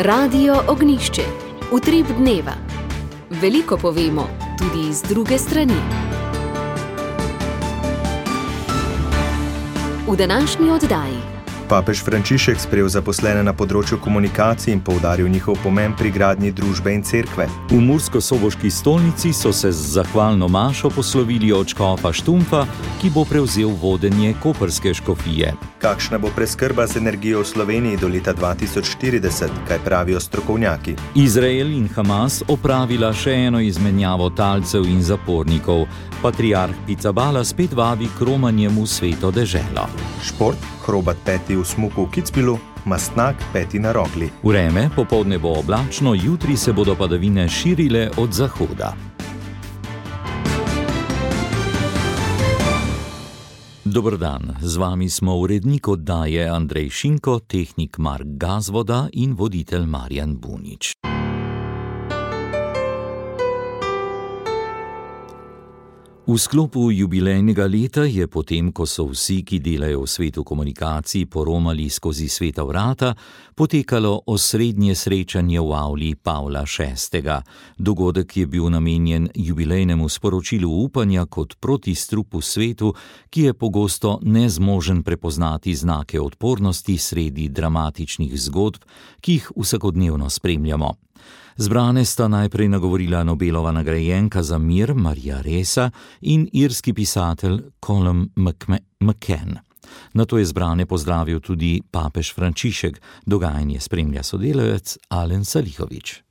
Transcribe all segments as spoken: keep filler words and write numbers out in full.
Radio Ognjišče. Utrip dneva. Veliko povemo, tudi iz druge strani. V današnji oddaji. Papež Frančišek sprejel zaposlene na področju komunikacij in poudaril njihov pomen pri gradnji družbe in cerkve. V murskosoboški stolnici so se z zahvalno mašo poslovili od škofa Štumfa, ki bo prevzel vodenje koprske škofije. Kakšna bo preskrba z energijo v Sloveniji do leta dva tisoč štirideset, kaj pravijo strokovnjaki? Izrael in Hamas opravila še eno izmenjavo talcev in zapornikov. Patriarh Pizzaballa spet vabi k romanjem v sveto deželo. Šport, Hrobat peti v smuku v Kitzbühelu, Mastnak peti na Rogli. Vreme, popoldne bo oblačno, jutri se bodo padavine širile od zahoda. Dober dan, z vami smo urednik oddaje Andrej Šinko, tehnik Mark Gazvoda in voditelj Marjan Bunič. V sklopu jubilejnega leta je potem, ko so vsi, ki delajo v svetu komunikacij, poromali skozi sveta vrata, potekalo osrednje srečanje v avli Pavla šestega. Dogodek je bil namenjen jubilejnemu sporočilu upanja kot protistrup v svetu, ki je pogosto nezmožen prepoznati znake odpornosti sredi dramatičnih zgodb, ki jih vsakodnevno spremljamo. Zbrane sta najprej nagovorila Nobelova nagrajenka za mir Marija Ressa in irski pisatelj Colum McCann. Nato je zbrane pozdravil tudi papež Frančišek. Dogajanje spremlja sodelavec Alen Salihovič.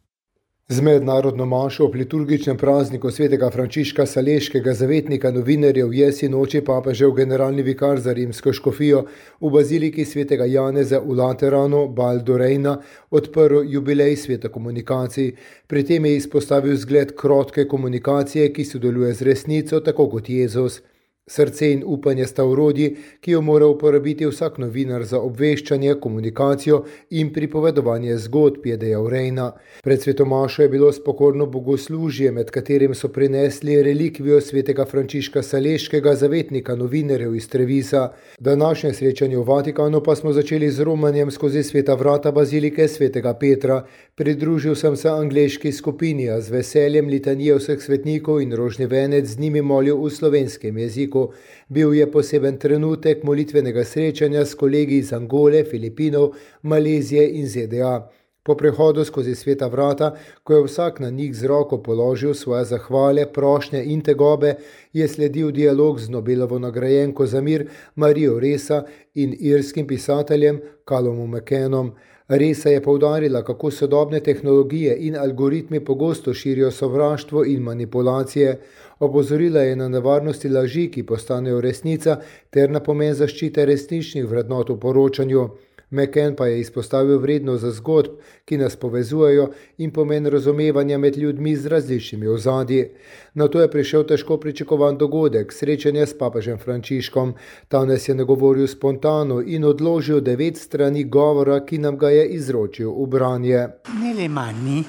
Z mednarodno mašo ob liturgičnem prazniku svetega Frančiška Saleškega, zavetnika novinarjev, je sinoči papežev generalni vikar za rimsko škofijo v baziliki svetega Janeza v Lateranu, Val d'Orejna, odprl jubilej sveta komunikacij. Pri tem je izpostavil zgled krotke komunikacije, ki sodeluje z resnico, tako kot Jezus. Srce in upanje sta orodji, ki jo mora uporabiti vsak novinar za obveščanje, komunikacijo in pripovedovanje zgodb, je dejal Rejna. Pred svetomašo je bilo spokorno bogoslužje, med katerim so prinesli relikvijo svetega Frančiška Saleškega, zavetnika novinarjev iz Trevisa. Današnje srečanje v Vatikanu pa smo začeli z romanjem skozi sveta vrata bazilike svetega Petra. Pridružil sem se angleški skupini, a z veseljem litanije vseh svetnikov in rožni venec z njimi molil v slovenskem jeziku. Bil je poseben trenutek molitvenega srečanja s kolegi iz Angole, Filipinov, Malezije in Z D A. Po prehodu skozi sveta vrata, ko je vsak na njih z roko položil svoje zahvale, prošnje in tegobe, je sledil dialog z Nobelovo nagrajenko za mir Marijo Ressa in irskim pisateljem Calumom McCannom. Ressa je poudarila, kako sodobne tehnologije in algoritmi pogosto širijo sovraštvo in manipulacije. Opozorila je na nevarnosti laži, ki postanejo resnica, ter na pomen zaščite resničnih vrednot v poročanju. McCann pa je izpostavil vrednost za zgodb, ki nas povezujejo, in pomen razumevanja med ljudmi z različnimi ozadji. Nato je prišel težko pričakovan dogodek, srečanje s papežem Frančiškom. Ta nas je nagovoril spontano in odložil devet strani govora, ki nam ga je izročil v branje. Nelle mani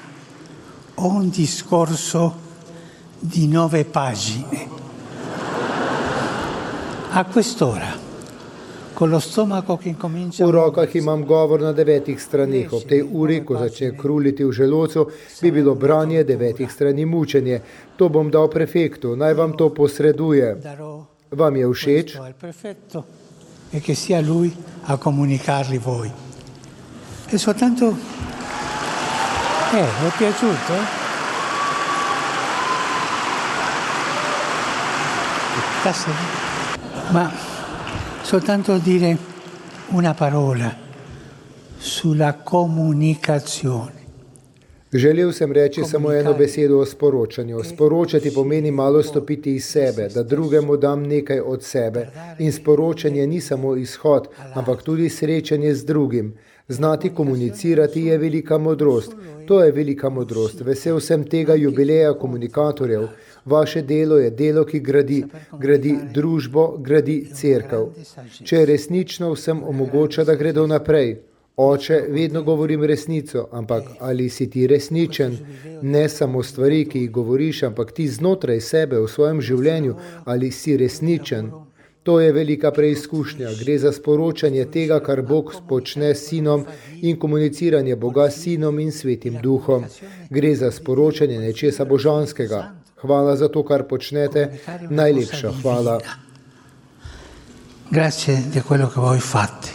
ho un discorso di nove pagine. A quest'ora. V rokah imam govor na devetih stranih. Ob tej uri, ko začne kruliti v želodcu, bi bilo branje devetih strani mučenje. To bom dal prefektu, naj vam to posreduje. Vam je všeč? E che sia lui a comunicarli voi. E soltanto Eh, vi è piaciuto? Ma soltanto dire una parola sulla comunicazione. Želel sem reči samo eno besedo o sporočanju. Sporočati pomeni malo stopiti iz sebe, da drugemu dam nekaj od sebe. In sporočanje ni samo izhod, ampak tudi srečanje z drugim. Znati komunicirati je velika modrost. To je velika modrost. Vesel sem tega jubileja komunikatorjev. Vaše delo je delo, ki gradi, gradi družbo, gradi cerkev. Če resnično vsem omogoča, da gredo naprej. Oče, vedno govorim resnico, ampak ali si ti resničen? Ne samo stvari, ki jih govoriš, ampak ti znotraj sebe v svojem življenju, ali si resničen? To je velika preizkušnja. Gre za sporočanje tega, kar Bog počne s Sinom in komuniciranje Boga s Sinom in Svetim Duhom. Gre za sporočanje nečesa božanskega. Hvala za to, kar počnete. Najlepša hvala. Grazie di quello che voi fate.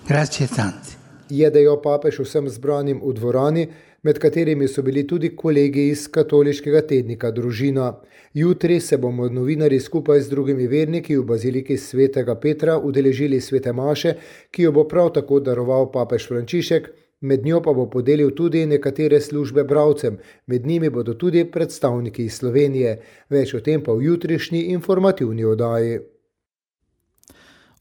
Grazie tanti. Je dejal papež vsem zbranim v dvorani, med katerimi so bili tudi kolegi iz katoliškega tednika Družina. Jutri se bomo novinarji skupaj z drugimi verniki v baziliki svetega Petra udeležili svete maše, ki jo bo prav tako daroval papež Frančišek, med njo pa bo podelil tudi nekatere službe bralcem, med njimi bodo tudi predstavniki iz Slovenije. Več o tem pa v jutrišnji informativni oddaji.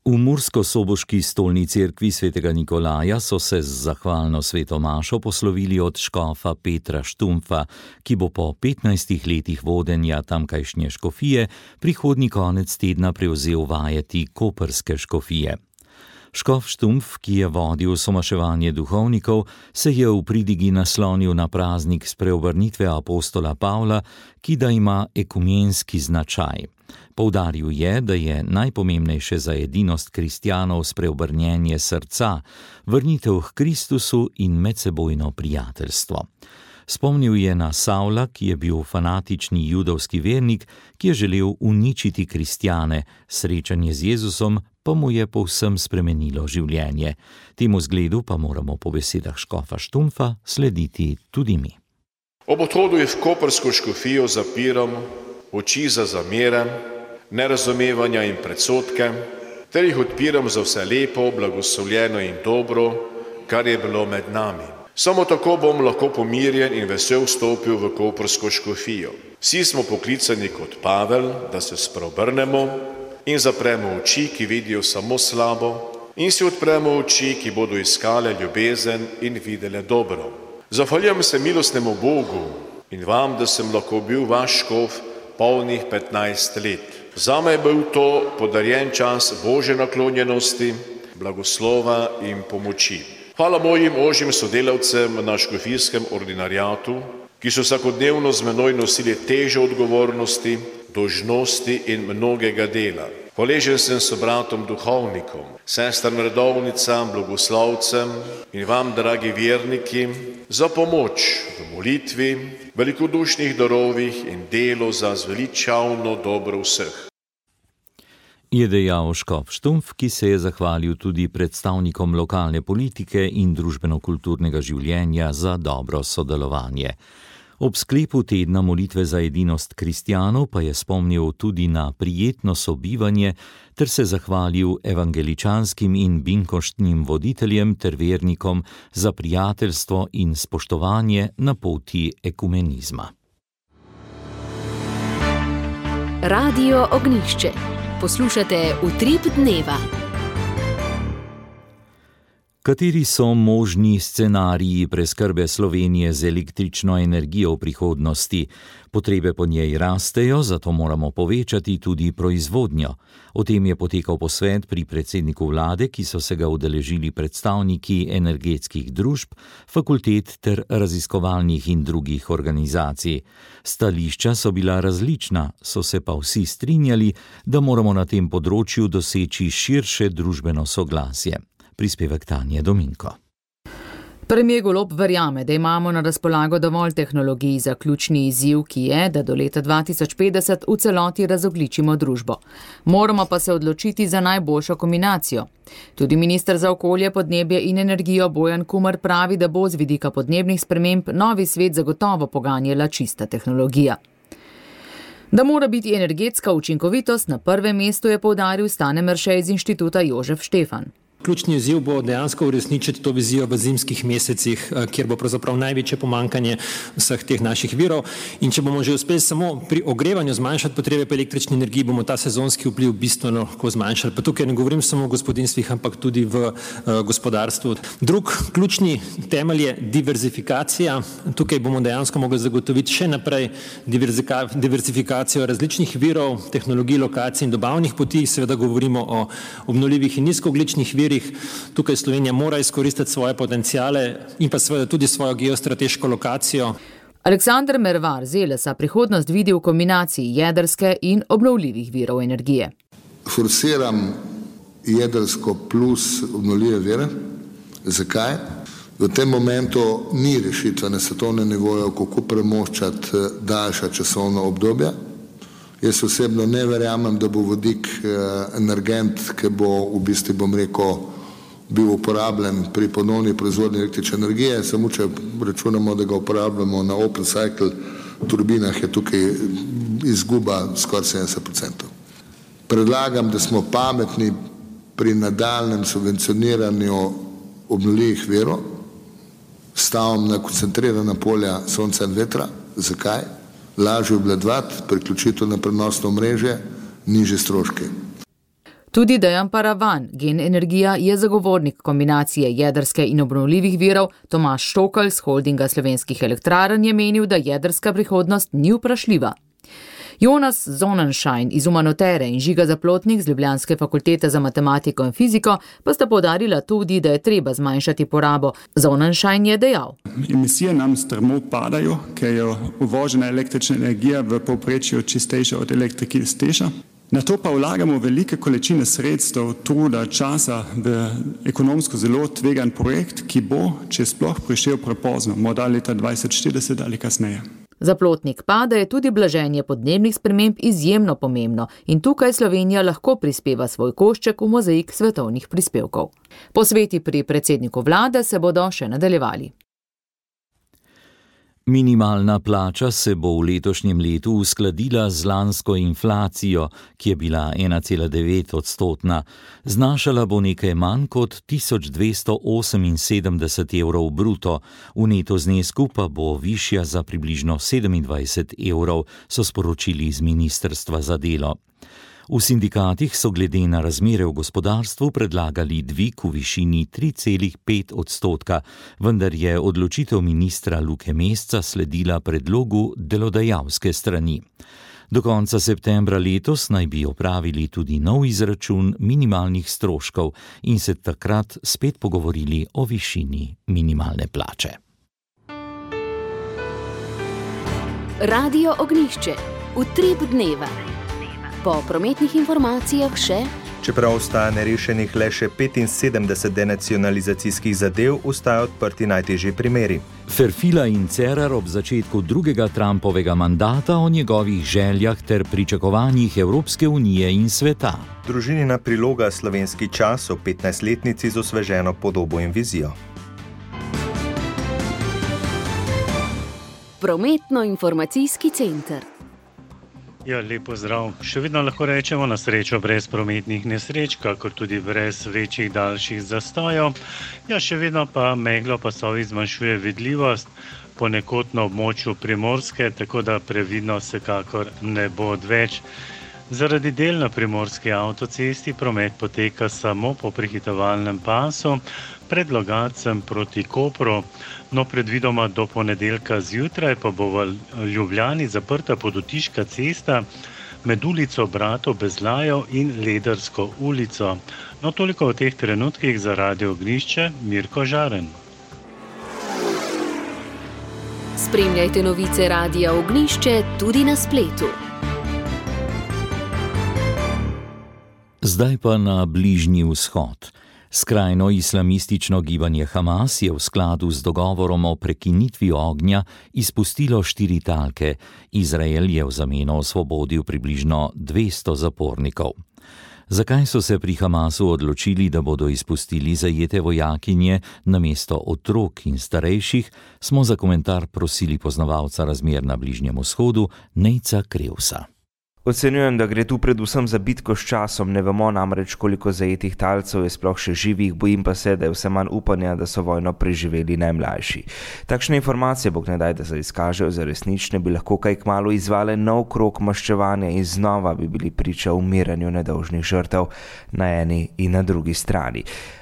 V murskosoboški stolni cerkvi svetega Nikolaja so se z zahvalno sveto mašo poslovili od škofa Petra Štumpfa, ki bo po petnajstih letih vodenja tamkajšnje škofije prihodnji konec tedna prevzel vajeti koprske škofije. Škof Štumpf, ki je vodil somaševanje duhovnikov, se je v pridigi naslonil na praznik spreobrnitve apostola Pavla, ki da ima ekumenski značaj. Poudaril je, da je najpomembnejše za edinost kristjanov spreobrnjenje srca, vrnitev k Kristusu in medsebojno prijateljstvo. Spomnil je na Savla, ki je bil fanatični judovski vernik, ki je želel uničiti kristjane, srečanje z Jezusom pa mu je povsem spremenilo življenje. Temu zgledu pa moramo po besedah škofa Štumpfa slediti tudi mi. Ob odhodu v koprsko škofijo zapiram oči za zamere, nerazumevanja in predsodke, ter jih odpiram za vse lepo, blagoslovljeno in dobro, kar je bilo med nami. Samo tako bom lahko pomirjen in vesel vstopil v koprsko škofijo. Vsi smo poklicani kot Pavel, da se spreobrnemo in zapremo oči, ki vidijo samo slabo, in si odpremo oči, ki bodo iskale ljubezen in videle dobro. Zahvaljujem se milostnemu Bogu in vam, da sem lahko bil vaš škof polnih petnajst let. Zame je bil to podarjen čas Božje naklonjenosti, blagoslova in pomoči. Hvala mojim ožjim sodelavcem na škofijskem ordinariatu, ki so vsakodnevno z menoj nosili težo odgovornosti, dolžnosti in mnogega dela. Hvaležen sem sobratom duhovnikom, sestram redovnicam, blagoslovcem in vam, dragi verniki, za pomoč v molitvi, velikodušnih darovih in delo za zveličavno dobro vseh. Je dejal škof Štumpf, ki se je zahvalil tudi predstavnikom lokalne politike in družbeno-kulturnega življenja za dobro sodelovanje. Ob sklepu tedna molitve za edinost kristjanov pa je spomnil tudi na prijetno sobivanje ter se zahvalil evangeličanskim in binkoštnim voditeljem ter vernikom za prijateljstvo in spoštovanje na poti ekumenizma. Radio Ognjišče. Poslušate Utrip dneva. Kateri so možni scenariji preskrbe Slovenije z električno energijo v prihodnosti? Potrebe po njej rastejo, zato moramo povečati tudi proizvodnjo. O tem je potekal posvet pri predsedniku vlade, ki so se ga udeležili predstavniki energetskih družb, fakultet ter raziskovalnih in drugih organizacij. Stališča so bila različna, so se pa vsi strinjali, da moramo na tem področju doseči širše družbeno soglasje. Prispevek Tanje Dominko. Premier Golob verjame, da imamo na razpolago dovolj tehnologij za ključni izziv, ki je, da do leta dva tisoč petdeset v celoti razogljičimo družbo. Moramo pa se odločiti za najboljšo kombinacijo. Tudi minister za okolje, podnebje in energijo Bojan Kumer pravi, da bo z vidika podnebnih sprememb novi svet zagotovo poganjala čista tehnologija. Da mora biti energetska učinkovitost na prvem mestu, je poudaril Stane Merše iz inštituta Jožef Štefan. Ključni izziv bo dejansko uresničiti to vizijo v zimskih mesecih, kjer bo pravzaprav največje pomankanje vseh teh naših virov. In če bomo že uspeli samo pri ogrevanju zmanjšati potrebe po električni energiji, bomo ta sezonski vpliv bistveno lahko zmanjšali. Pa tukaj ne govorim samo o gospodinstvih, ampak tudi v uh, gospodarstvu. Drug ključni temelj je diverzifikacija. Tukaj bomo dejansko mogli zagotoviti še naprej diverzifikacijo različnih virov, tehnologij, lokacij in dobavnih poti. Seveda govorimo o obnovljivih in nizkoogljičnih virih. Tukaj Slovenija mora izkoristiti svoje potencijale in pa seveda tudi svojo geostrateško lokacijo. Aleksander Mervar z Elesa prihodnost vidi v kombinaciji jedrske in obnovljivih virov energije. forsiram jedrsko plus obnovljive vire. Zakaj? V tem momentu ni rešitve na svetovnem nivoju, kako premoščati daljša časovna obdobja. Jaz osebno ne verjamem, da bo vodik energent, ki bo v bistvu, bom rekel, bil uporabljen pri ponovni proizvodnji električne energije, samo če računamo, da ga uporabljamo na open cycle turbinah, je tukaj izguba skoraj sedemdeset procentov. Predlagam, da smo pametni pri nadaljnjem subvencioniranju obnovljivih virov, stavom na koncentrirana polja sonca in vetra. Zakaj? Lažje obvladovati, priključitev na prenosno omrežje, nižje stroške. Tudi Dejan Paravan, Gen Energija, je zagovornik kombinacije jedrske in obnovljivih virov. Tomaž Štokl z holdinga Slovenskih elektrarn je menil, da jedrska prihodnost ni vprašljiva. Jonas Sonnenschein iz Umanotere in Žiga Zaplotnik z Ljubljanske fakultete za matematiko in fiziko pa sta poudarila tudi, da je treba zmanjšati porabo. Sonnenschein je dejal: Emisije nam strmo padajo, ker je uvožena električna energija v povprečju čistejša od elektrike iz Teša. Na to pa vlagamo velike količine sredstev, truda, časa v ekonomsko zelo tvegan projekt, ki bo, če sploh, prišel prepozno, morda leta dvajset štirideset ali kasneje. Zaplotnik pa, da je tudi blaženje podnebnih sprememb izjemno pomembno in tukaj Slovenija lahko prispeva svoj košček v mozaik svetovnih prispevkov. Posveti pri predsedniku vlade se bodo še nadaljevali. Minimalna plača se bo v letošnjem letu uskladila z lansko inflacijo, ki je bila ena cela devet odstotna. Znašala bo nekaj manj kot tisoč dvesto oseminsedemdeset evrov bruto, v neto znesku pa bo višja za približno sedemindvajset evrov, so sporočili iz Ministrstva za delo. V sindikatih so glede na razmere v gospodarstvu predlagali dvig v višini tri cela pet odstotka, vendar je odločitev ministra Luke Mesca sledila predlogu delodajalske strani. Do konca septembra letos naj bi opravili tudi nov izračun minimalnih stroškov in se takrat spet pogovorili o višini minimalne plače. Radio Ognjišče. Utrip dneva. Po prometnih informacijah še: čeprav ostaja nerešenih le še petinsedemdeset denacionalizacijskih zadev, ostajajo odprti najtežji primeri. Ferfila in Cerar ob začetku drugega Trumpovega mandata o njegovih željah ter pričakovanjih Evropske unije in sveta. Družinina priloga Slovenski čas o petnajstletnici z osveženo podobo in vizijo. Prometno-informacijski center. Ja, lep pozdrav. Še vedno lahko rečemo na srečo brez prometnih nesreč, kakor tudi brez večjih daljših zastojev. Ja, še vedno pa meglo pasovi zmanjšuje vidljivost, ponekod na območju Primorske, tako da previdno vsekakor ne bo odveč. Zaradi del na primorski avtocesti promet poteka samo po prehitevalnem pasu, pred Logatcem proti Kopru, no predvidoma do ponedeljka zjutraj pa bo v Ljubljani zaprta Podotiška cesta med ulico Bratov Bezlajev in Ledersko ulico. No toliko v teh trenutkih za Radio Ognjišče, Mirko Žaren. Spremljajte novice Radia Ognjišče tudi na spletu. Zdaj pa na Bližnji vzhod. Skrajno islamistično gibanje Hamas je v skladu z dogovorom o prekinitvi ognja izpustilo štiri talke. Izrael je v zameno osvobodil približno dvesto zapornikov. Zakaj so se pri Hamasu odločili, da bodo izpustili zajete vojakinje namesto otrok in starejših, smo za komentar prosili poznavalca razmer na Bližnjem vzhodu, Nejca Krevsa. Ocenjujem, da gre tu predvsem za bitko s časom, ne vemo namreč, koliko zajetih talcev je sploh še živih, bojim pa se, da je vse manj upanja, da so vojno preživeli najmlajši. Takšne informacije, bog ne daj, da se izkažejo za resnične, bi lahko kaj kmalu izvale nov krog maščevanja in znova bi bili priča umiranju nedolžnih žrtev na eni in na drugi strani.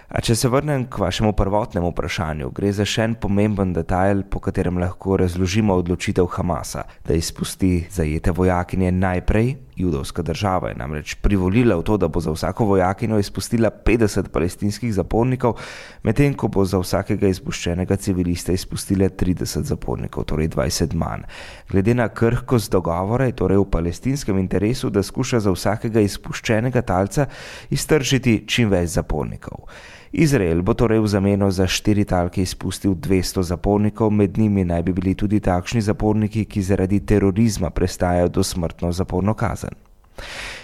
A če se vrnem k vašemu prvotnemu vprašanju, gre za še en pomemben detajl, po katerem lahko razložimo odločitev Hamasa, da izpusti zajete vojakinje najprej Judovska država je namreč privolila v to, da bo za vsako vojakinjo izpustila petdeset palestinskih zapornikov, medtem ko bo za vsakega izpuščenega civilista izpustila trideset zapornikov, torej dvajset manj. Glede na krhkost dogovora je torej v palestinskem interesu, da skuša za vsakega izpuščenega talca iztržiti čim več zapornikov. Izrael bo torej v zameno za štiri talke izpustil dvesto zapornikov, med njimi naj bi bili tudi takšni zaporniki, ki zaradi terorizma prestajajo dosmrtno zaporno kazen.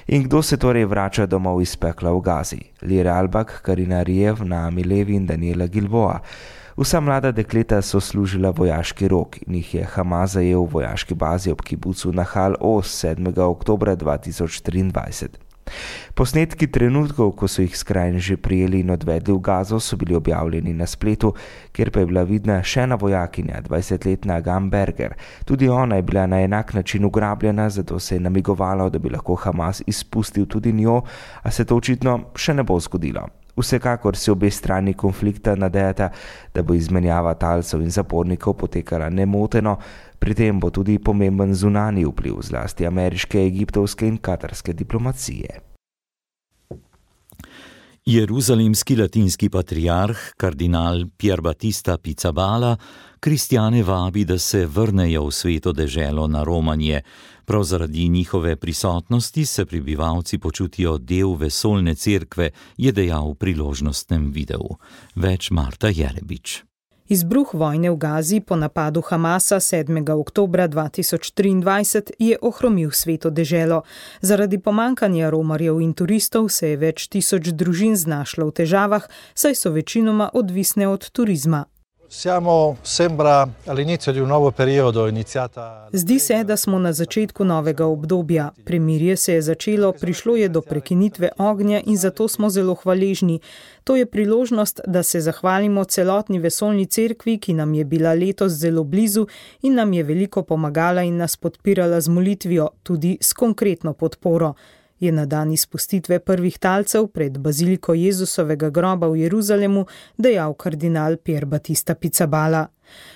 In kdo se torej vrača domov iz pekla v Gazi? Lira Albak, Karina Rijev, Naami Levi in Daniela Gilboa. Vsa mlada dekleta so služila vojaški rok in jih je Hamas zajel v vojaški bazi ob kibucu Nahal Oz sedmega oktobra dva tisoč triindvajset. Posnetki trenutkov, ko so jih skrajneži prijeli in odvedli v Gazo, so bili objavljeni na spletu, kjer pa je bila vidna še ena vojakinja, dvajsetletna Agam Berger. Tudi ona je bila na enak način ugrabljena, zato se je namigovalo, da bi lahko Hamas izpustil tudi njo, a se to očitno še ne bo zgodilo. Vsekakor se obe strani konflikta nadejata, da bo izmenjava talcev in zapornikov potekala nemoteno, pri tem bo tudi pomemben zunanji vpliv zlasti ameriške, egiptovske in katarske diplomacije. Jeruzalemski latinski patriarh, kardinal Pier Battista Pizzaballa, kristjane vabi, da se vrnejo v sveto deželo na romanje. Prav zaradi njihove prisotnosti se prebivalci počutijo del vesoljne cerkve, je dejal v priložnostnem videu. Več Marta Jerebič. Izbruh vojne v Gazi po napadu Hamasa sedmega oktobra dva tisoč triindvajset je ohromil sveto deželo. Zaradi pomankanja romarjev in turistov se je več tisoč družin znašlo v težavah, saj so večinoma odvisne od turizma. Siamo, sembra, all'inizio di un nuovo periodo iniziata... Zdi se, da smo na začetku novega obdobja. Premirje se je začelo, prišlo je do prekinitve ognja in zato smo zelo hvaležni. To je priložnost, da se zahvalimo celotni vesoljni cerkvi, ki nam je bila letos zelo blizu in nam je veliko pomagala in nas podpirala z molitvijo, tudi s konkretno podporo. Je na dan izpustitve prvih talcev pred baziliko Jezusovega groba v Jeruzalemu dejal kardinal Pier Battista Pizzaballa.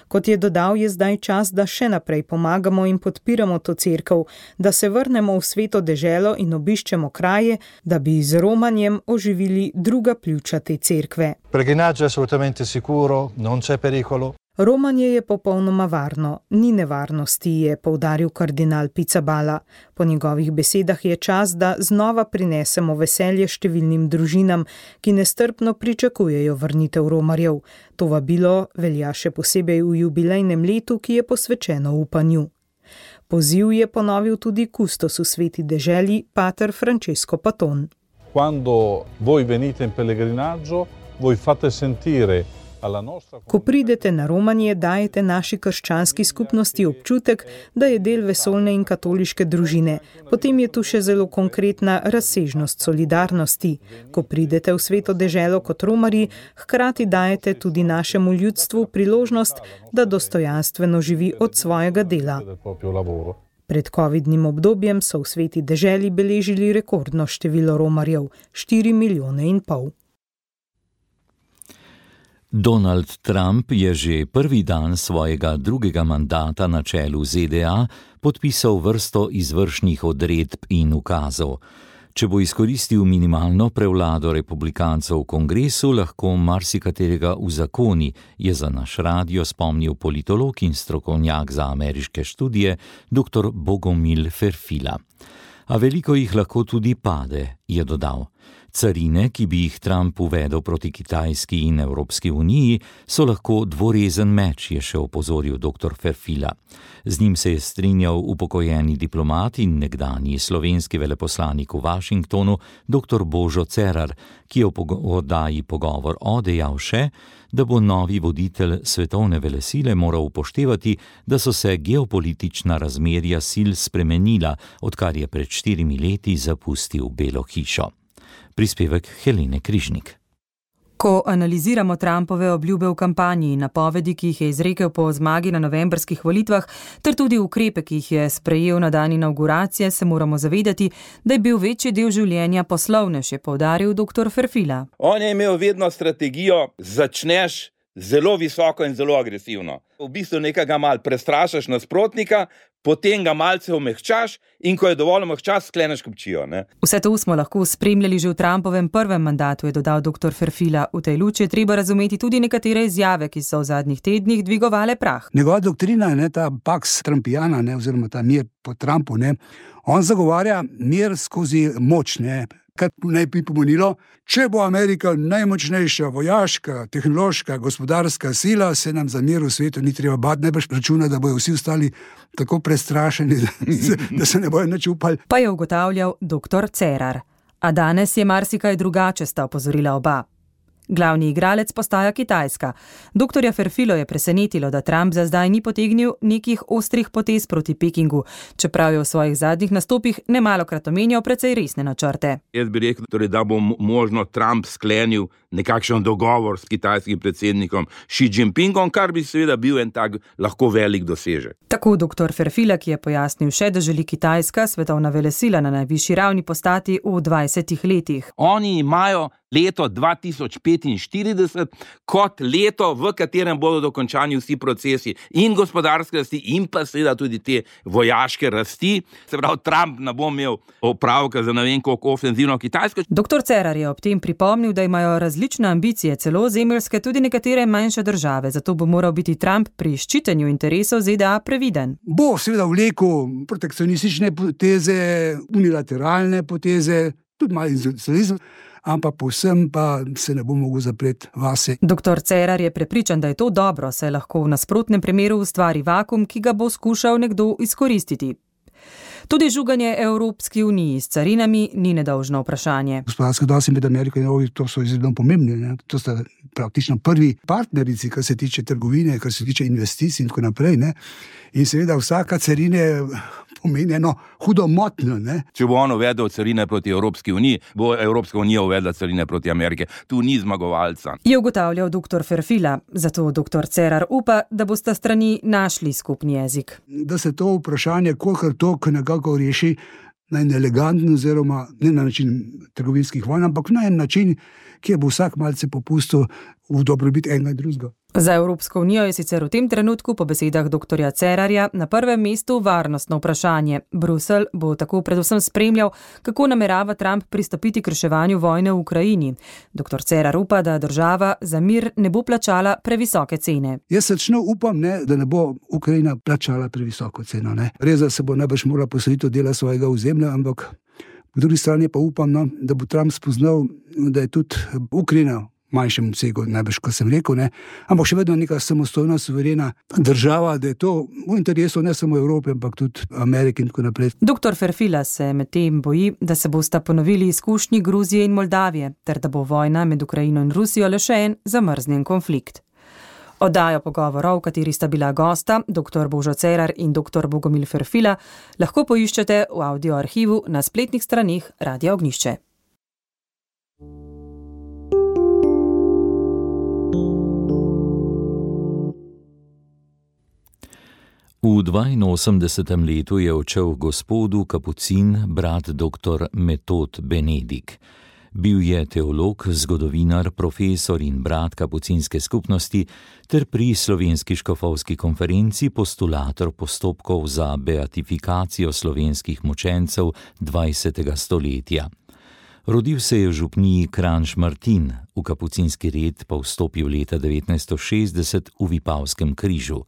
Kot je dodal, je zdaj čas, da še naprej pomagamo in podpiramo to cerkev, da se vrnemo v sveto deželo in obiščemo kraje, da bi z romanjem oživili druga pljuča te cerkve. Pellegrinaggio è assolutamente sicuro, non c'è pericolo. Romanje je popolnoma varno, ni nevarnosti, je poudaril kardinal Pizzaballa. Po njegovih besedah je čas, da znova prinesemo veselje številnim družinam, ki nestrpno pričakujejo vrnitev romarjev. To vabilo velja še posebej v jubilejnem letu, ki je posvečeno upanju. Poziv je ponovil tudi kustos v sveti deželi, pater Francesco Paton. Quando voi venite in pellegrinaggio, voi fate sentire Ko pridete na romanje, dajete naši krščanski skupnosti občutek, da je del vesoljne in katoliške družine. Potem je tu še zelo konkretna razsežnost solidarnosti. Ko pridete v sveto deželo kot romarji, hkrati dajete tudi našemu ljudstvu priložnost, da dostojanstveno živi od svojega dela. Pred covidnim obdobjem so v sveti deželi beležili rekordno število romarjev, štiri milijone in pol. Donald Trump je že prvi dan svojega drugega mandata na čelu Z D A podpisal vrsto izvršnih odredb in ukazov. Če bo izkoristil minimalno prevlado republikancev v kongresu, lahko marsikaterega uzakoni, je za naš radio spomnil politolog in strokovnjak za ameriške študije dr. Bogomil Ferfila. A veliko jih lahko tudi pade, je dodal. Carine, ki bi jih Trump uvedel proti Kitajski in Evropski uniji, so lahko dvorezen meč, je še opozoril dr. Ferfila. Z njim se je strinjal upokojeni diplomat in nekdanji slovenski veleposlanik v Washingtonu dr. Božo Cerar, ki je v oddaji Pogovor o dejal še, da bo novi voditelj svetovne velesile moral upoštevati, da so se geopolitična razmerja sil spremenila, odkar je pred štirimi leti zapustil Belo hišo. Prispevek Helene Križnik. Ko analiziramo Trumpove obljube v kampanji in napovedi, ki jih je izrekel po zmagi na novembrskih volitvah, ter tudi ukrepe, ki jih je sprejel na dan inauguracije, se moramo zavedati, da je bil večji del življenja poslovnež, je poudaril dr. Ferfila. On je imel vedno strategijo, začneš zelo visoko in zelo agresivno. V bistvu nekega mal prestrašaš nasprotnika, potem ga malce omehčaš in ko je dovolj omehčaš, skleneš kupčijo. Ne? Vse to smo lahko spremljali že v Trumpovem prvem mandatu, je dodal doktor Ferfila. V tej luči je treba razumeti tudi nekatere izjave, ki so v zadnjih tednih dvigovale prah. Njegova doktrina, ne, ta Pax Trumpijana, ne, oziroma ta mir po Trumpu, ne, on zagovarja mir skozi moč, ne, kar naj bi pomenilo, če bo Amerika najmočnejša vojaška, tehnološka, gospodarska sila, se nam za mir v svetu ni treba bati, ne boš računa, da bojo vsi ostali tako prestrašeni, da se, da se ne bojo nič upali. Pa je ugotavljal doktor Cerar. A danes je marsikaj drugače, sta opozorila oba. Glavni igralec postaja Kitajska. Doktorja Ferfilo je presenetilo, da Trump za zdaj ni potegnil nekih ostrih potez proti Pekingu, čeprav je v svojih zadnjih nastopih nemalokrat omenjal precej resne načrte. Jaz bi rekel, torej, da bo možno Trump sklenil nekakšen dogovor s kitajskim predsednikom Xi Jinpingom, kar bi seveda bil en tak lahko velik dosežek. Tako doktor Ferfila, ki je pojasnil še, da želi Kitajska svetovna velesila na najvišji ravni postati v dvajsetih letih. Oni imajo leto dva tisoč petinštirideset kot leto, v katerem bodo dokončani vsi procesi in gospodarske rasti in pa seveda tudi te vojaške rasti. Se pravi, Trump ne bo imel opravka za ne vem koliko ofenzivno Kitajsko. Doktor Cerar je ob tem pripomnil, da imajo različne ambicije, celo zemeljske, tudi nekatere manjše države, zato bo moral biti Trump pri ščitenju interesov Z D A previden. Bo seveda vlekel protekcionistične poteze, unilateralne poteze, tudi malo izolacionizem, ampak povsem pa se ne bo mogel zapreti vase. Doktor Cerar je prepričan, da je to dobro, saj lahko v nasprotnem primeru ustvari vakuum, ki ga bo skušal nekdo izkoristiti. Tudi žuganje Evropski uniji s carinami ni nedolžno vprašanje. Gospodarski odnosi med Ameriko in Evropo, to so izredno pomembni, ne? To sta praktično prvi partnerici, kar se tiče trgovine, kar se tiče investicij in tako naprej, ne? In seveda vsaka carine pomeni eno hudo motnjo, ne? Če bo on uvedel carine proti Evropski uniji, bo Evropska unija uvedla carine proti Amerike. Tu ni zmagovalca. Je ugotavljal doktor Ferfila, zato doktor Cerar upa, da bosta strani našli skupni jezik. Da se to vprašanje kolikor toliko nekako reši na en eleganten oziroma ne na način trgovinskih vojn, ampak na en način, kjer bo vsak malce popustil v dobrobit enega in drugega. Za Evropsko unijo je sicer v tem trenutku po besedah doktorja Cerarja na prvem mestu varnostno vprašanje. Bruselj bo tako predvsem spremljal, kako namerava Trump pristopiti k reševanju vojne v Ukrajini. Doktor Cerar upa, da država za mir ne bo plačala previsoke cene. Jaz srčno upam, ne, da ne bo Ukrajina plačala previsoko ceno. Ne. Res, da se bo najbrž morala posvetiti od dela svojega ozemlja, ampak po drugi strani pa upam, no, da bo Trump spoznal, da je tudi Ukrajina manjšem obsegu, najbrž, kot sem rekel, ne, ampak še vedno neka samostojna, suverena država, da je to v interesu ne samo Evrope, ampak tudi Amerike in tako naprej. Doktor Ferfila se med tem boji, da se bosta ponovili izkušnji Gruzije in Moldavije, ter da bo vojna med Ukrajino in Rusijo le še en zamrznjen konflikt. Oddajo pogovorov, v kateri sta bila gosta, doktor Božo Cerar in doktor Bogomil Ferfila, lahko poiščete v audioarhivu na spletnih straneh Radia Ognjišče. V dvainosemdesetem letu je odšel gospodu kapucin brat doktor Metod Benedik. Bil je teolog, zgodovinar, profesor in brat kapucinske skupnosti ter pri Slovenski škofovski konferenci postulator postopkov za beatifikacijo slovenskih mučencev dvajsetega stoletja. Rodil se je v župniji Kranj-Šmartin, v kapucinski red pa vstopil leta devetnajststo šestdeset v Vipavskem križu.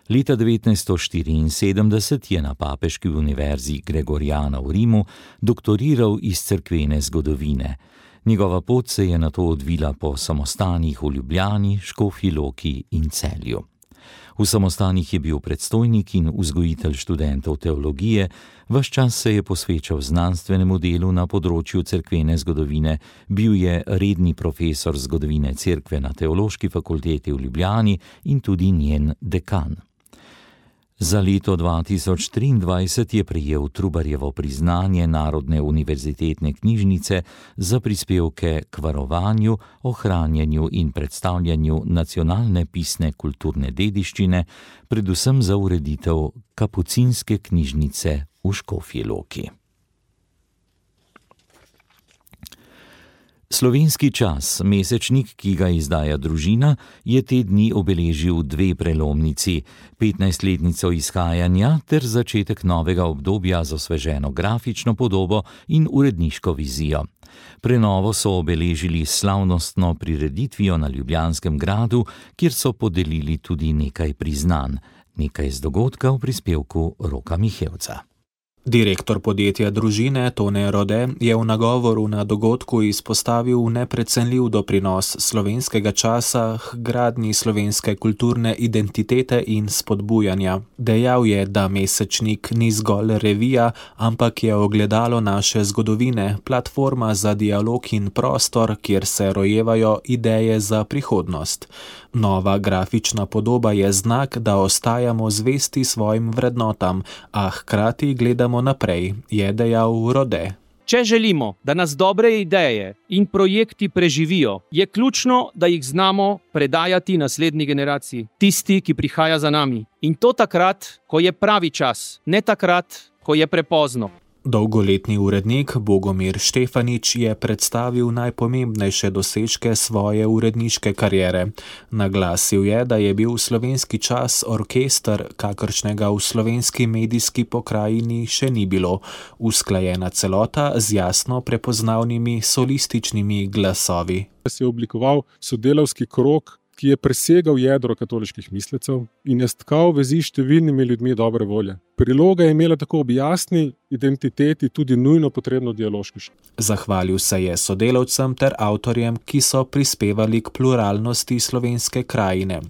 Leta devetnajststo štiriinsedemdeset je na Papeški univerzi Gregoriana v Rimu doktoriral iz cerkvene zgodovine. Njegova pot se je nato odvila po samostanih v Ljubljani, Škofji Loki in Celju. V samostanih je bil predstojnik in vzgojitelj študentov teologije, ves čas se je posvečal znanstvenemu delu na področju cerkvene zgodovine, bil je redni profesor zgodovine cerkve na Teološki fakulteti v Ljubljani in tudi njen dekan. Za leto dva tisoč triindvajset je prejel Trubarjevo priznanje Narodne univerzitetne knjižnice za prispevke k varovanju, ohranjanju in predstavljanju nacionalne pisne kulturne dediščine, predvsem za ureditev kapucinske knjižnice v Škofji Loki. Slovenski čas, mesečnik, ki ga izdaja Družina, je te dni obeležil dve prelomnici, petnajstletnico izhajanja ter začetek novega obdobja z osveženo grafično podobo in uredniško vizijo. Prenovo so obeležili s slavnostno prireditvijo na Ljubljanskem gradu, kjer so podelili tudi nekaj priznanj. Nekaj z dogodka v prispevku Roka Mihevca. Direktor podjetja Družine Tone Rode je v nagovoru na dogodku izpostavil neprecenljiv doprinos slovenskega časa k gradnji slovenske kulturne identitete in spodbujanja. Dejal je, da mesečnik ni zgolj revija, ampak je ogledalo naše zgodovine, platforma za dialog in prostor, kjer se rojevajo ideje za prihodnost. Nova grafična podoba je znak, da ostajamo zvesti svojim vrednotam, a hkrati gledamo naprej, je dejal Rode. Če želimo, da nas dobre ideje in projekti preživijo, je ključno, da jih znamo predajati naslednji generaciji, tisti, ki prihaja za nami. In to takrat, ko je pravi čas, ne takrat, ko je prepozno. Dolgoletni urednik Bogomir Štefanič je predstavil najpomembnejše dosežke svoje uredniške kariere. Naglasil je, da je bil slovenski čas orkester, kakršnega v slovenski medijski pokrajini še ni bilo, usklajena celota z jasno prepoznavnimi solističnimi glasovi. Se je oblikoval sodelavski krog, ki je presegal jedro katoliških mislecev in je stkal vezi s številnimi ljudmi dobre volje. Priloga je imela tako ob jasni identiteti tudi nujno potrebno dialoški. Zahvalil se je sodelavcem ter avtorjem, ki so prispevali k pluralnosti slovenske krajine.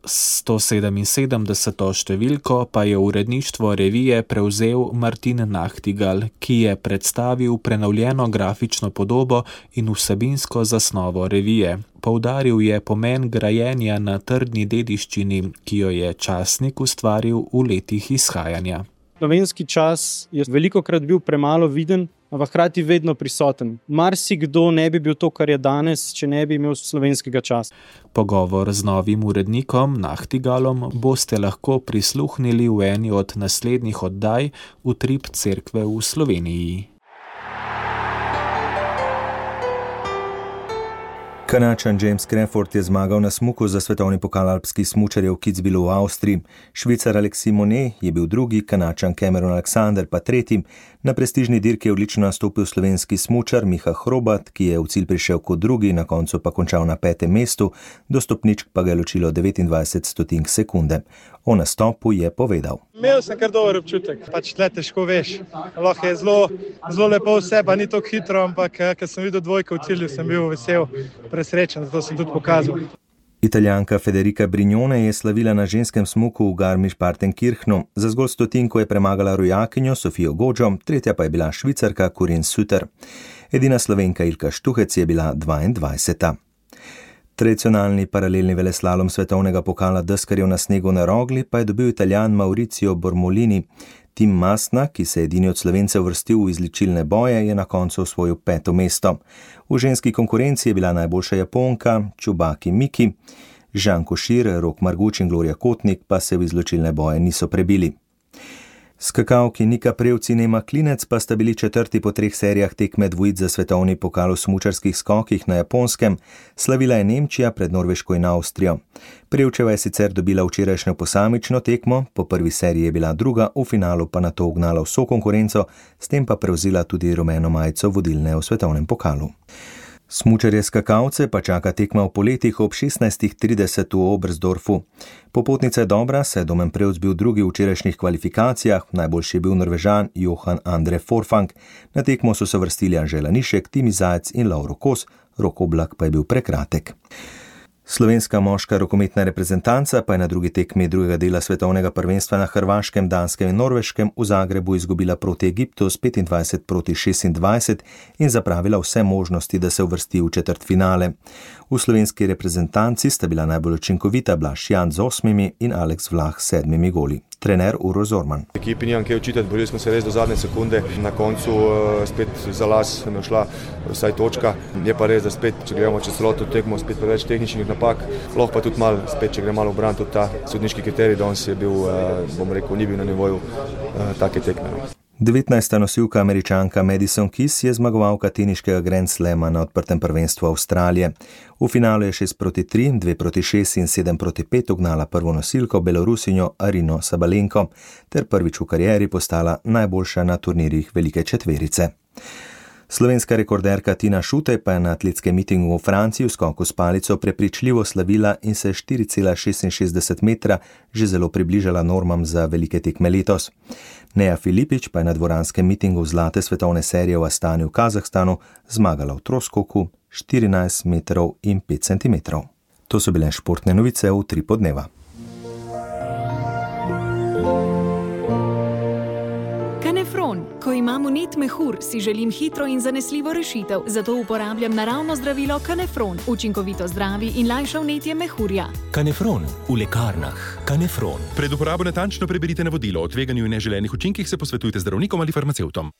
sto sedeminsedemdeseto številko pa je uredništvo revije prevzel Martin Nachtigal, ki je predstavil prenovljeno grafično podobo in vsebinsko zasnovo revije. Poudaril je pomen grajenja na trdni dediščini, ki jo je časnik ustvaril v letih izhajanja. Slovenski čas je velikokrat bil premalo viden, ampak hkrati vedno prisoten. Marsikdo ne bi bil to, kar je danes, če ne bi imel slovenskega časa. Pogovor z novim urednikom Nachtigalom boste lahko prisluhnili v eni od naslednjih oddaj Utrip cerkve v Sloveniji. Kanačan James Crawford je zmagal na smuku za svetovni pokal alpskih smučarjev v Kitzbühelu v Avstriji. Švicar Alexis Monet je bil drugi, Kanačan Cameron Alexander pa tretji. Na prestižni dirki je odlično nastopil slovenski smučar Miha Hrobat, ki je v cilj prišel kot drugi, na koncu pa končal na petem mestu, do stopničk pa ga je ločilo devetindvajset stotink sekunde. O nastopu je povedal. Imel sem kar dober občutek, pač tle težko veš. Lahko je zelo, zelo lepo vse, pa ni tako hitro, ampak ker sem videl dvojko v cilju, sem bil vesel, presrečen, zato sem tudi pokazal. Italijanka Federica Brignone je slavila na ženskem smuku v Garmisch-Partenkirchnu. Za zgolj stotinko je premagala rojakinjo Sofijo Godžo, tretja pa je bila Švicarka Corinne Suter. Edina Slovenka Ilka Štuhec je bila dvaindvajseta. Tradicionalni paralelni veleslalom svetovnega pokala deskarjev na snegu na Rogli pa je dobil Italijan Mauricio Bormolini. Tim Masna, ki se je edini od Slovencev vrstil v izločilne boje, je na koncu osvojil peto mesto. V ženski konkurenci je bila najboljša Japonka Tsubaki Miki, Žan Košir, Rok Marguč in Gloria Kotnik pa se v izločilne boje niso prebili. Skakalki Nika Prevc in Ema Klinec pa sta bili četrti po treh serijah tekme dvojic za svetovni pokal v smučarskih skokih na Japonskem. Slavila je Nemčija pred Norveško in Avstrijo. Prevčeva je sicer dobila včerajšnjo posamično tekmo, po prvi seriji je bila druga, v finalu pa nato ugnala vso konkurenco, s tem pa prevzela tudi rumeno majico vodilne v svetovnem pokalu. Smučarje skakalce pa čaka tekma v poletih ob šestnajst trideset v Oberstdorfu. Popotnica je dobra, saj je Domen Prevc bil drugi v včerajšnjih kvalifikacijah, najboljši je bil Norvežan Johan Andre Forfang. Na tekmo so se vrstili Anžela Nišek, Timi Zajec in Lauro Kos, Rok Oblak pa je bil prekratek. Slovenska moška rokometna reprezentanca pa je na drugi tekmi drugega dela svetovnega prvenstva na Hrvaškem, Danskem in Norveškem v Zagrebu izgubila proti Egiptu s petindvajset proti šestindvajset in zapravila vse možnosti, da se uvrsti v četrtfinale. V slovenski reprezentanci sta bila najbolj učinkovita Blaž Jan z osmimi in Aleks Vlah s sedmimi goli. Trener Uroš Zorman. Ekipi nimam kaj učitati, borili smo se res do zadnje sekunde, na koncu uh, spet za las nam je šla vsaj točka. Je pa res, da spet, če gremo čez celoto tekmo, spet preveč tehničnih napak, lahko pa tudi malo, spet, če gre malo v bran, tudi ta sodniški kriterij, danes je bil, uh, bom rekel, ni bil na nivoju uh, take tekme. devetnajsta nosilka Američanka Madison Keys je zmagovalka teniškega Grand Slama na odprtem prvenstvu Avstralije. V finalu je šest proti tri, dve proti šest in sedem proti pet ugnala prvo nosilko Belorusinjo Arino Sabalenko ter prvič v karieri postala najboljša na turnirjih velike četverice. Slovenska rekorderka Tina Šutej pa je na atletskem mitingu v Franciji v skoku s palico prepričljivo slavila in se štiri cela šestinšestdeset metra že zelo približala normam za velike tekme letos. Neja Filipič pa je na dvoranskem mitingu zlate svetovne serije v Astani v Kazahstanu zmagala v troskoku štirinajst metrov in pet centimetrov. To so bile športne novice v Utripu dneva. Kanefron. Ko imam vnet mehur, si želim hitro in zanesljivo rešitev, zato uporabljam naravno zdravilo Kanefron. Učinkovito zdravi in lajša vnetje mehurja. Kanefron v lekarnah. Kanefron. Pred uporabo natančno preberite navodilo. O tveganju in neželenih učinkih se posvetujte z zdravnikom ali farmacevtom.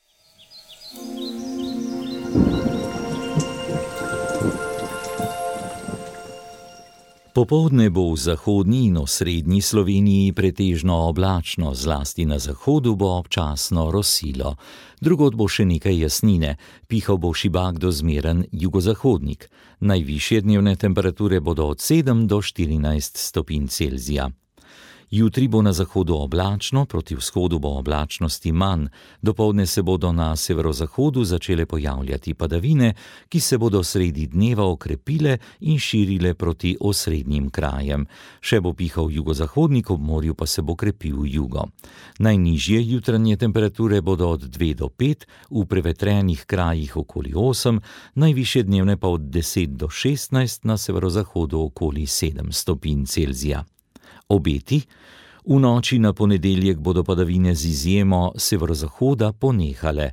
Popoldne bo v zahodni in osrednji Sloveniji pretežno oblačno, zlasti na zahodu bo občasno rosilo. Drugod bo še nekaj jasnine, pihal bo šibak do zmeren jugozahodnik. Najvišje dnevne temperature bodo od sedem do štirinajst stopinj Celzija. Jutri bo na zahodu oblačno, proti vzhodu bo oblačnosti manj. Dopoldne se bodo na severozahodu začele pojavljati padavine, ki se bodo sredi dneva okrepile in širile proti osrednjim krajem. Še bo pihal jugozahodnik, ob morju pa se bo krepil jugo. Najnižje jutranje temperature bodo od dve do pet, v prevetrenih krajih okoli osem, najvišje dnevne pa od deset do šestnajst, na severozahodu okoli sedem stopinj Celzija. Obeti. V noči na ponedeljek bodo padavine z izjemo severozahoda ponehale.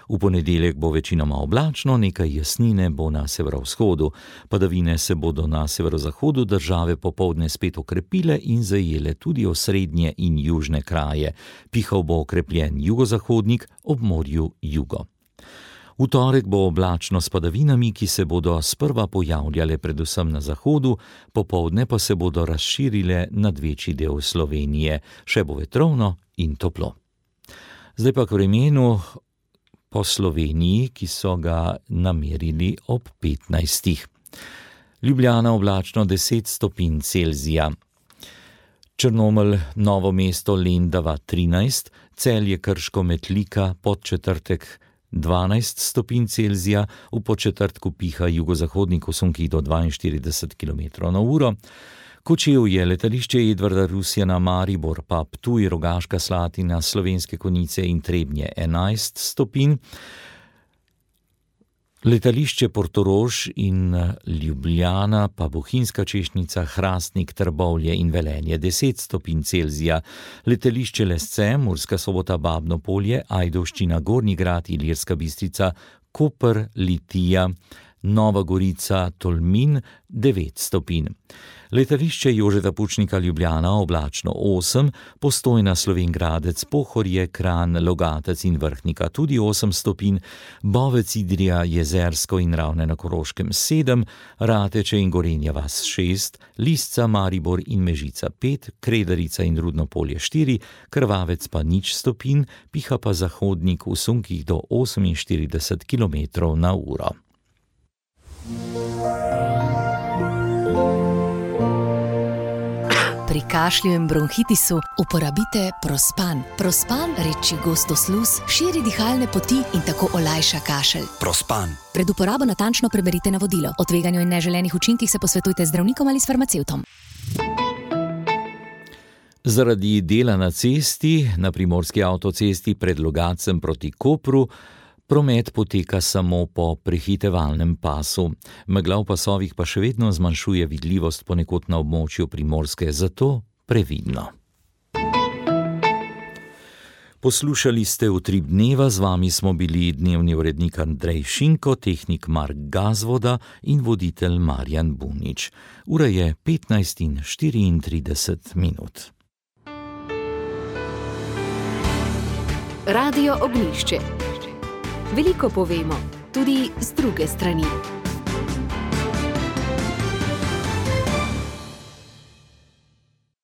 V ponedeljek bo večinoma oblačno, nekaj jasnine bo na severovzhodu. Padavine se bodo na severozahodu države popoldne spet okrepile in zajele tudi osrednje in južne kraje. Pihal bo okrepljen jugozahodnik, ob morju jugo. V torek bo oblačno s padavinami, ki se bodo sprva pojavljale predvsem na zahodu, popoldne pa se bodo razširile nad večji del Slovenije. Še bo vetrovno in toplo. Zdaj pa k vremenu po Sloveniji, ki so ga namerili ob petnajstih. Ljubljana oblačno deset stopinj Celzija. Črnomelj, Novo mesto, Lendava trinajst, Celje, Krško, Metlika, Podčetrtek dvanajst stopinj Celzija, v Podčetrtku piha jugozahodnik v sunkih do dvainštirideset kilometrov na uro. Kočevje, letališče Edvarda Rusjana, Maribor, pa Ptuj, Rogaška Slatina, Slovenske Konjice in Trebnje enajst stopinj. Letališče Portorož in Ljubljana, pa Bohinjska Češnjica, Hrastnik, Trbovlje in Velenje deset stopinj Celzija. Letališče Lesce, Murska Sobota, Babno Polje, Ajdovščina, Gornji Grad, Ilirska Bistrica, Koper, Litija, Nova Gorica, Tolmin devet stopinj. Letališče Jožeta Pučnika, Ljubljana oblačno osem, Postojna, Slovenj Gradec, Pohorje, Kranj, Logatec in Vrhnika tudi osem stopinj, Bovec, Idrija, Jezersko in Ravne na Koroškem sedem, Rateče in Gorenja vas šest, Lisca, Maribor in Mežica pet, Kredarica in Rudno Polje štiri, Krvavec pa nič stopinj, piha pa zahodnik v sunkih do oseminštirideset kilometrov na uro. Pri kašlju in bronhitisu uporabite Prospan. Prospan reči gostosluz, širi dihalne poti in tako olajša kašelj. Prospan. Pred uporabo natančno preberite navodilo. O tveganju in neželenih učinkih se posvetujte z zdravnikom ali s farmacevtom. Zaradi dela na cesti, na primorski avtocesti pred Logatcem proti Kopru, promet poteka samo po prehitevalnem pasu. Megla v pasovih pa še vedno zmanjšuje vidljivost ponekod na območju Primorske, zato previdno. Poslušali ste Utrip dneva, z vami smo bili dnevni urednik Andrej Šinko, tehnik Mark Gazvoda in voditelj Marjan Bunič. Ura je petnajst in štiriintrideset minut. Radio Ognjišče. Veliko povemo, tudi z druge strani.